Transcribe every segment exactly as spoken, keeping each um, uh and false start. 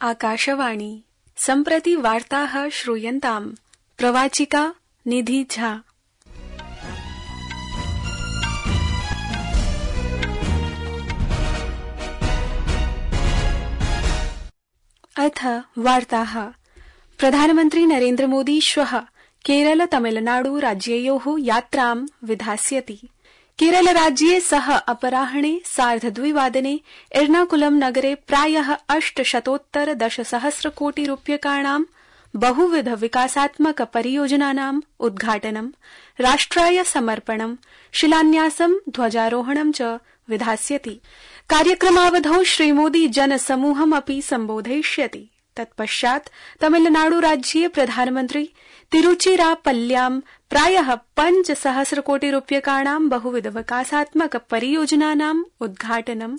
आकाशवाणी सम्प्रति वार्ताः श्रूयन्ताम्। प्रवाचिका निधि झा। अथ वार्ताः। प्रधानमन्त्री नरेन्द्र मोदी श्वः केरल तमिलनाडु राज्ययोः यात्रां विधास्यति। केरलराज्ये सः अपराह्णे सार्धद्विवादने एर्नाकुलम नगरे प्रायः अष्टशतोत्तर दशसहस्रकोटि रूप्यकाणां बहुविध विकासात्मक परियोजनानाम् उद्घाटनं, राष्ट्राय समर्पणं, शिलान्यासं, ध्वजारोहणं च विधास्यति। कार्यक्रमावधौ श्रीमोदी जनसमूहमपि सम्बोधयिष्यति। तत्पश्चात् तमिलनाडुराज्ये प्रधानमन्त्री तिरुचिरापल्ल्यां प्रायः पञ्चसहस्रकोटि रूप्यकाणां बहुविध विकासात्मक परियोजनानाम् उद्घाटनं,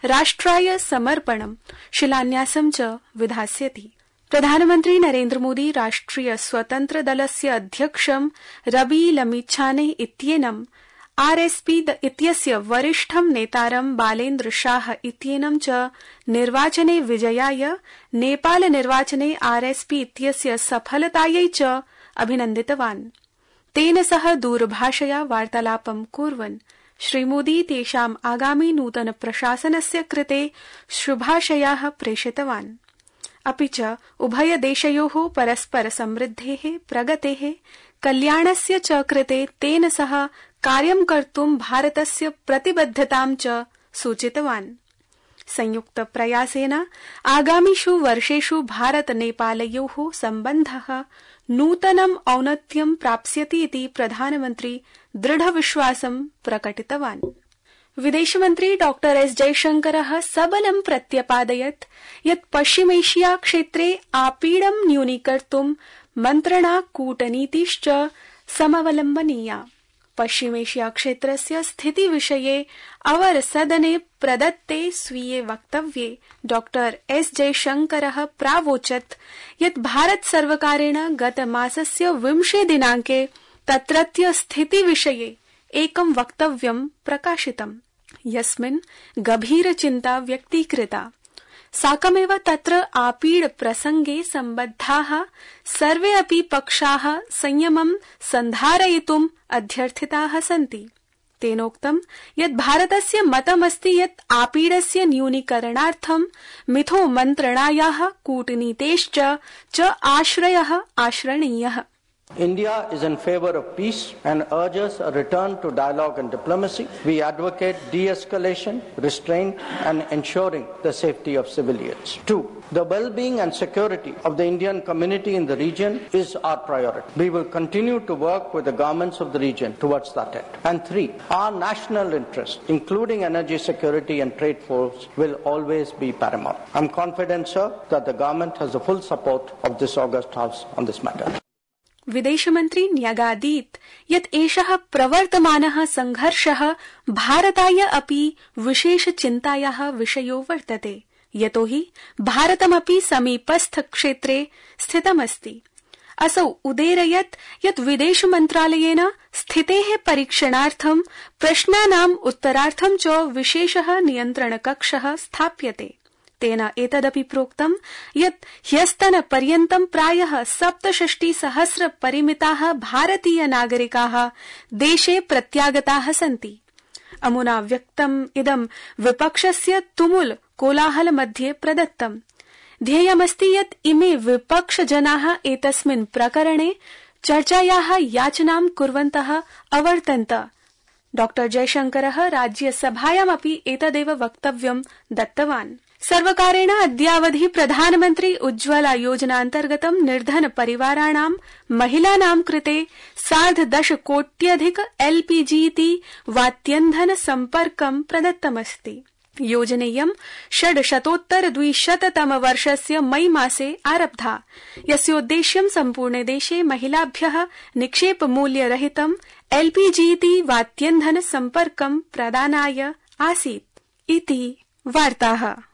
राष्ट्राय समर्पणं, शिलान्यासं च विधास्यति। प्रधानमन्त्री नरेन्द्र मोदी राष्ट्रिय स्वतन्त्र दलस्य अध्यक्षं रबी लमिच्छाने इत्येनं, आरएसपी इत्यस्य वरिष्ठं नेतारं बालेन्द्र शाह इत्येनं च निर्वाचने विजयाय, नेपाल निर्वाचने आरएसपी इत्यस्य सफलतायै च अभिनन्दितवान्। तेन सह दूरभाषया वार्तालापं कुर्वन् श्रीमोदी तेषाम् आगामि नूतन प्रशासनस्य कृते शुभाशयाः प्रेषितवान्। अपि च उभयदेशयोः परस्पर समृद्धेः, प्रगतेः, कल्याणस्य च कृते तेन सह कार्यं कर्तुं भारतस्य प्रतिबद्धतां च सूचितवान्। संयुक्त प्रयासेन आगामिषु वर्षेषु भारत नेपालयोः सम्बन्धः नूतनम् औन्नत्यं प्राप्स्यति इति प्रधानमन्त्री दृढविश्वासं प्रकटितवान्। विदेशमन्त्री डॉक्टर एस जयशंकरः सबलं प्रत्यपादयत् यत् पश्चिमेशिया क्षेत्रे आपीडं न्यूनीकर्तुं मन्त्रणा कूटनीतिश्च समवलम्बनीया। पश्चिमेशिया क्षेत्रस्य स्थितिविषये अवसदने प्रदत्ते स्वीये वक्तव्ये डॉक्टर एस जयशंकरः प्रावोचत् यत् भारत सर्वकारेण गतमासस्य विंशे दिनाङ्के तत्रत्य स्थितिविषये एकं वक्तव्यं प्रकाशितम्, यस्मिन् गभीरचिन्ता व्यक्तीकृता। साकमेव तत्र आपीड प्रसंगे सम्बद्धाः सर्वे अपि पक्षाः संयमं सन्धारयितुम् अध्यर्थिताः सन्ति। तेनोक्तं यत् भारतस्य मतमस्ति यत् आपीडस्य न्यूनीकरणार्थं मिथो मन्त्रणायाः कूटनीतेश्च च आश्रयः आश्रणीयः। India is in favor of peace and urges a return to dialogue and diplomacy. We advocate de-escalation, restraint and ensuring the safety of civilians. Two, the well-being and security of the Indian community in the region is our priority. We will continue to work with the governments of the region towards that end. And three, our national interest, including energy security and trade flows, will always be paramount. I am confident, sir, that the government has the full support of this august House on this matter. विदेशमन्त्री न्यगादीत् यत् एषः प्रवर्तमानः संघर्षः भारताय अपि विशेष चिन्तायाः विषयो वर्तते, यतोहि भारतमपि समीपस्थ क्षेत्रे स्थितमस्ति। असौ उदेरयत् यत् विदेश मन्त्रालयेन स्थितेः परीक्षणार्थं प्रश्नानाम् उत्तरार्थं च विशेषः नियन्त्रणकक्षः स्थाप्यते। तेन एतदपि प्रोक्तं यत् ह्यस्तनपर्यन्तं प्रायः सप्तषष्टिसहस्र परिमिताः भारतीय नागरिकाः देशे प्रत्यागताः सन्ति। अमुना व्यक्तम् इदं विपक्षस्य तुमुल कोलाहल मध्ये प्रदत्तम्। ध्येयमस्ति यत् इमे विपक्षजनाः एतस्मिन् प्रकरणे चर्चायाः याचनां कुर्वन्तः अवर्तन्त। डॉक्टर जयशंकरः राज्यसभायामपि एतदेव वक्तव्यं दत्तवान्। सर्वकारेण अद्यावधि प्रधानमन्त्री उज्ज्वला योजनान्तर्गतं निर्धन परिवाराणां महिलानां कृते सार्धदश कोट्यधिक एलपीजी इति वात्यन्धन सम्पर्कं प्रदत्तमस्ति। योजनेयं षड्शतोत्तर द्विशततम वर्षस्य मई मासे आरब्धा, यस्योद्देश्यं सम्पूर्णे देशे महिलाभ्यः निक्षेपमूल्यरहितं एलपीजी इति वात्यन्धन सम्पर्कं प्रदानाय आसीत् इति वार्ताः।